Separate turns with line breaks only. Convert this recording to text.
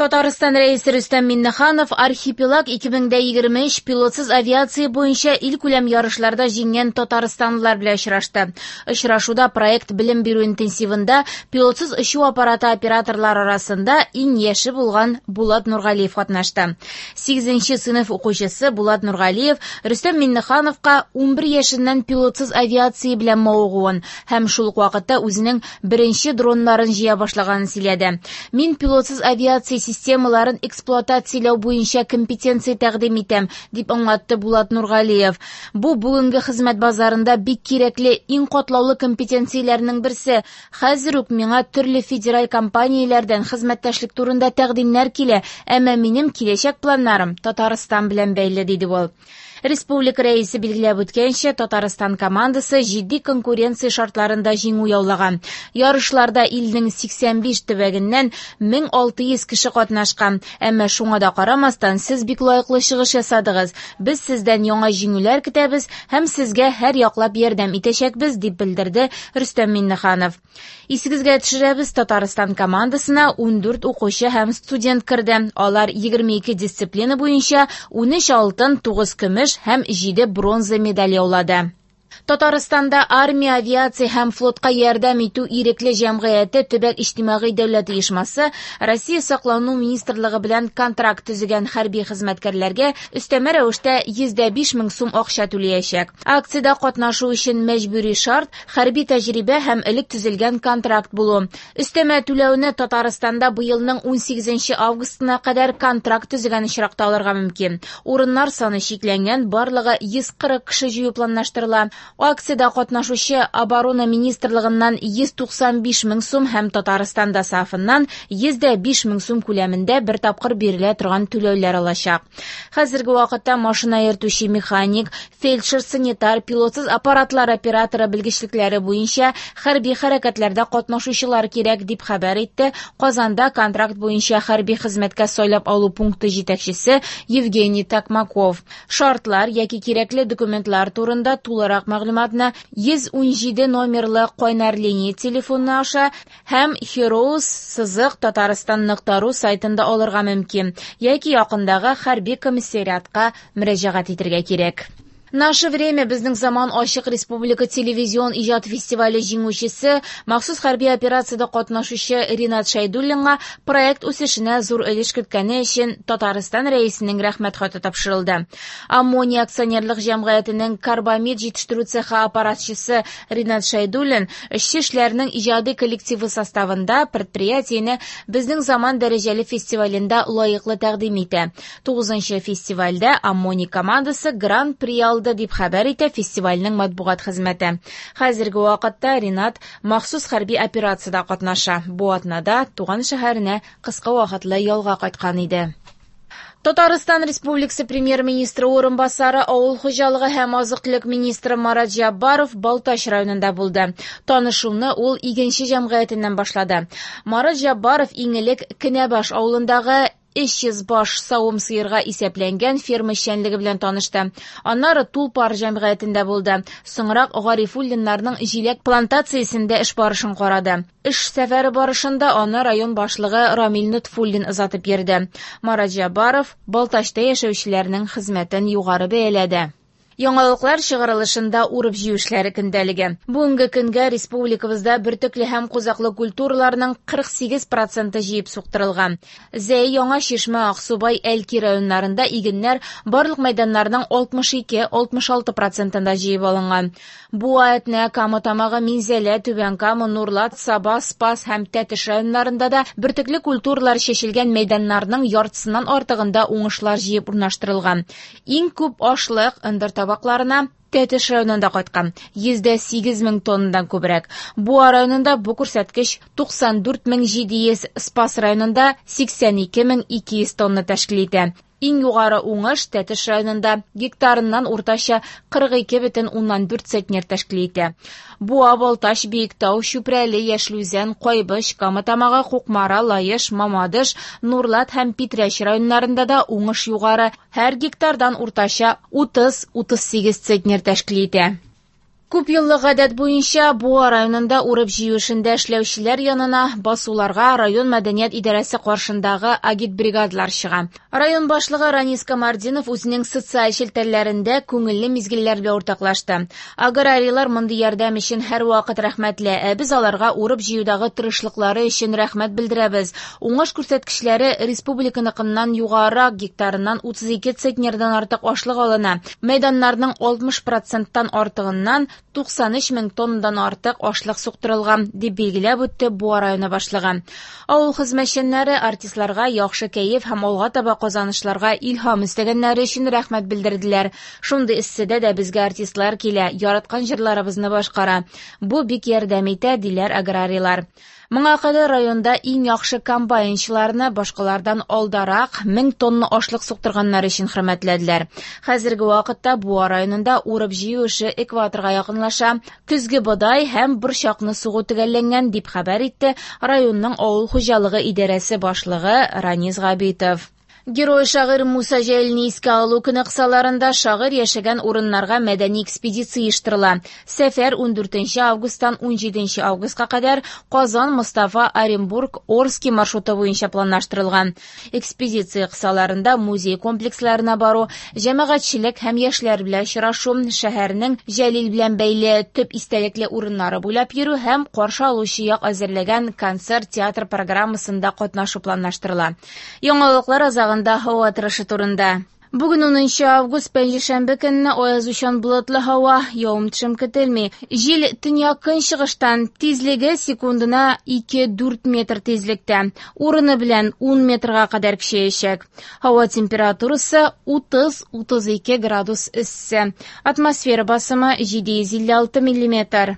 Татарстан Рәисе Рөстәм Миңнеханов Архипелаг 2023 пилотсыз авиация буенча илкүләм ярышларда җиңгән татарстанлылар белән очрашты. Очрашуда проект белем бирү интенсивында пилотсыз очу аппараты операторлары арасында иң яше булган Булат Нургалиев катнашты. 8 сыйныф укучысы Булат Нургалиев Рөстәм Миңнехановка 11 яшеннән пилотсыз авиация белән мавыгуын һәм шул ук вакытта үзенең беренче дроннарын җыя башлаганын сөйләде. Мин пилотсыз авиация системаларын эксплуатацияләү буенча компетенция тәкъдим итәм, дип аңлатты Булат Нургалиев. Бу бүгенге хезмәт базарында бик кирәкле, иң катлаулы компетенцияләрнең берсе. Хәзер үк миңа төрле федераль компанияләрдән хезмәттәшлек турында тәкъдимнәр килә, әмма минем киләчәк планнарым Татарстан белән бәйле, диде ул. Республика рәисе билгеләп үткәнчә, Татарстан командасы җитди конкуренция шартларында җиңү яулаган. Ярышларда илнең 85 төбәгеннән 1600 кеше катнашкан. Әмма шуңа да карамастан, сез бик лаеклы чыгыш ясадыгыз. Без сездән яңа җиңүләр көтәбез һәм сезгә һәр яклап ярдәм итәчәкбез, дип белдерде Рөстәм Миңнеханов. Исегезгә төшерәбез, Татарстан командасына 14 укучы һәм студент керде. Алар 22 дисциплина буенча 13 алтын, 9 көмеш һәм 7 бронза медаль яулады. Татарстанда армия, авиация һәм флотка ярдәм итү ирекле җәмгыяте төбәк иҗтимагый дәүләт оешмасы Россия саклану министрлыгы белән контракт төзегән хәрби хезмәткәрләргә өстәмә рәвештә 105 мең сум акча түләячәк. Акциядә катнашу өчен мәҗбүри шарт хәрби тәҗрибә һәм элек төзелгән контракт булу. Өстәмә түләүне Татарстанда быелның 18 августына кадәр контракт төзегән очракта алырга мөмкин. Урыннар саны чикләнгән, барлыгы 140 кеше җыю планлаштырыла. Акциядә катнашучы Оборона министрлыгыннан 195 мең сум һәм Татарстан ДОСААФыннан 105 мең сум күләмендә бер тапкыр бирелә торган түләүләр алачак. Хәзерге вакытта машина йөртүче механик, фельдшер, санитар, пилотсыз аппаратлар операторы белгечлекләре буенча хәрби хәрәкәтләрдә катнашучылар кирәк, дип хәбәр итте Казанда контракт буенча хәрби хезмәткә сайлап алу пункты җитәкчесе Евгений Такмаков. Шартлар яки кирәкле документлар турында тулырак мәгълүматны 117 номерлы кайнар линия телефоны аша һәм heroes сызык татарстан.ру сайтында алырга мөмкин яки якындагы хәрби комиссариатка мөрәҗәгать итәргә кирәк. Наше время безнең заман ачык республика телевизион иҗат фестивале җиңүчесе, махсус хәрби операциядә катнашучы Ринат Шәйдуллинга проект үсешенә зур өлеш керткәне өчен Татарстан Рәисенең рәхмәт хаты тапшырылды. Аммония акционерлык җәмгыятенең карбамид җитештерү цехы аппаратчысы Ринат Шәйдуллин эшче эшләрнең иҗади коллективы составында предприятиене Безнең заман дәрәҗәле фестивалендә лаеклы тәкъдим итә. 9 фестивальдә Аммоний командасы гран-при алды, дип хәбәр итә фестивальнең матбугат хезмәте. Хәзерге вакытта Ринат махсус хәрби операциядә катнаша. Бу атнада туган шәһәренә кыска вакытлы ялга кайткан иде. Татарстан Республикасы премьер-министры урынбасары, авыл хуҗалыгы һәм азык-төлек министры Марат Җаббаров Балтач районында булды. Танышуны ул Игенче җәмгыятеннән башлады. Марат Җаббаров иң элек Кенәбаш авылындагы 300 баш савым сыерга исәпләнгән ферма эшчәнлеге белән танышты. Аннары Тулпар җәмгыятендә булды. Соңрак Гарифуллиннарның җиләк плантациясендә эш барышын карады. Эш сәфәре барышында аны район башлыгы Рамил Нотфуллин озатып йөрде. Марат Җаббаров Балтачта яшәүчеләрнең хезмәтен югары бәяләде. Яңалыклар чыгарылышында урып-җыю эшләре көндәлеге. Бүгенге көнгә республикабызда бөртекле һәм кузаклы культураларның 48% җыеп суктырылган. Зәй, Яңа Чишмә, Аксубай, Әлки районнарында игеннәр барлык мәйданнарның 62-66 процентында җыеп алынган. Буа, Әтнә, Кама Тамагы, Минзәлә, Түбән Кама, Нурлат, Саба, Спас һәм Тәтеш районнарында да бөртекле культуралар чәчелгән мәйданнарның яртысыннан артыгында уңышлар җыеп урнаштырылган. Иң күп ашлык ындыр табакларына Тәтеш районында кайткан, 108 мең тоннадан күбрәк. Буа районында бу күрсәткеч 94 700, Спас районында 82 200 тонна тәшкил итә. Иң югары уңыш Тәтеш районында гектарыннан уртача 42,4 центнер тәшкил итә. Буа, Балтач, Биектау, Чүпрәле, Яшел Үзән, Кайбыч, Кама Тамагы, Кукмара, Лаеш, Мамадыш, Нурлат һәм Питрәч районнарында да уңыш югары. Һәр гектардан уртача 30-38 центнер тәшкил итә. Күп еллык гадәт буенча Буа районында урып-җыю эшендә эшләүчеләр янына басуларга район мәдәният идарәсе каршындагы агитбригадалар чыга. Район башлыгы Ранис Камартдинов үзенең социаль челтәрләрендә күңелле мизгелләр белән уртаклашты. Аграрийлар мондый ярдәм өчен һәрвакыт рәхмәтле, ә без аларга урып-җыюдагы тырышлыклары өчен рәхмәт белдерәбез. Уңыш күрсәткечләре республиканыкыннан югарырак, гектарыннан 32 центнердан артык ашлык алына. Мәйданнарның 60 проценттан артыгыннан 93 мең тоннадан артык ашлык суктырылган, дип билгеләп үтте Буа районы башлыгы. Авыл хезмәтчәннәре артистларга яхшы кәеф һәм алга таба казанышларга илһам өстәгәннәре өчен рәхмәт белдерделәр. Шундый эсседә дә безгә артистлар килә, яраткан җырларыбызны башкара. Бу бик ярдәм итә, диләр аграрийлар. Моңа кадәр районда иң яхшы комбайнчыларны башкалардан алдарак 1000 тонна ашлык суктырганнар өчен хөрмәтләделәр. Хәзерге вакытта Буа районында урып-җыю эше экваторга якынлаша. Көзге бодай һәм борчакны сугу төгәлләнгән, дип хәбәр итте районның авыл хуҗалыгы идарәсе башлыгы Ранис Габитов. Герой шагыйрь Муса Җәлилне искә алу көне кысаларында шагыйрь яшәгән урыннарга мәдәни экспедиция оештырыла. Сәфәр 14 августтан 17 августка кадәр Казан, Мостафа, Оренбург, Орски маршруты буенча планлаштырылган. Экспедиция кысаларында музей комплексларына бару, җәмәгатьчелек һәм яшьләр белән очрашу, шәһәрнең Җәлил белән бәйле төп истәлекле урыннары буйлап йөрү һәм каршы алучы як әзерләгән концерт-театр программасында катнашу планлаштырыла. Яңалыклар азагында һава торышы турында. Бүген 10 август пәнҗешәмбе көнне аязучан болытлы һава, явым-төшем көтелми. Җил төньяк көнчыгыштан, тизлеге секундына 2-4 метр тизлектә. Урыны белән 10 метрга кадәр көчәячәк. Һава температурасы 30-32 градус эссе. Атмосфера басымы 756 миллиметр.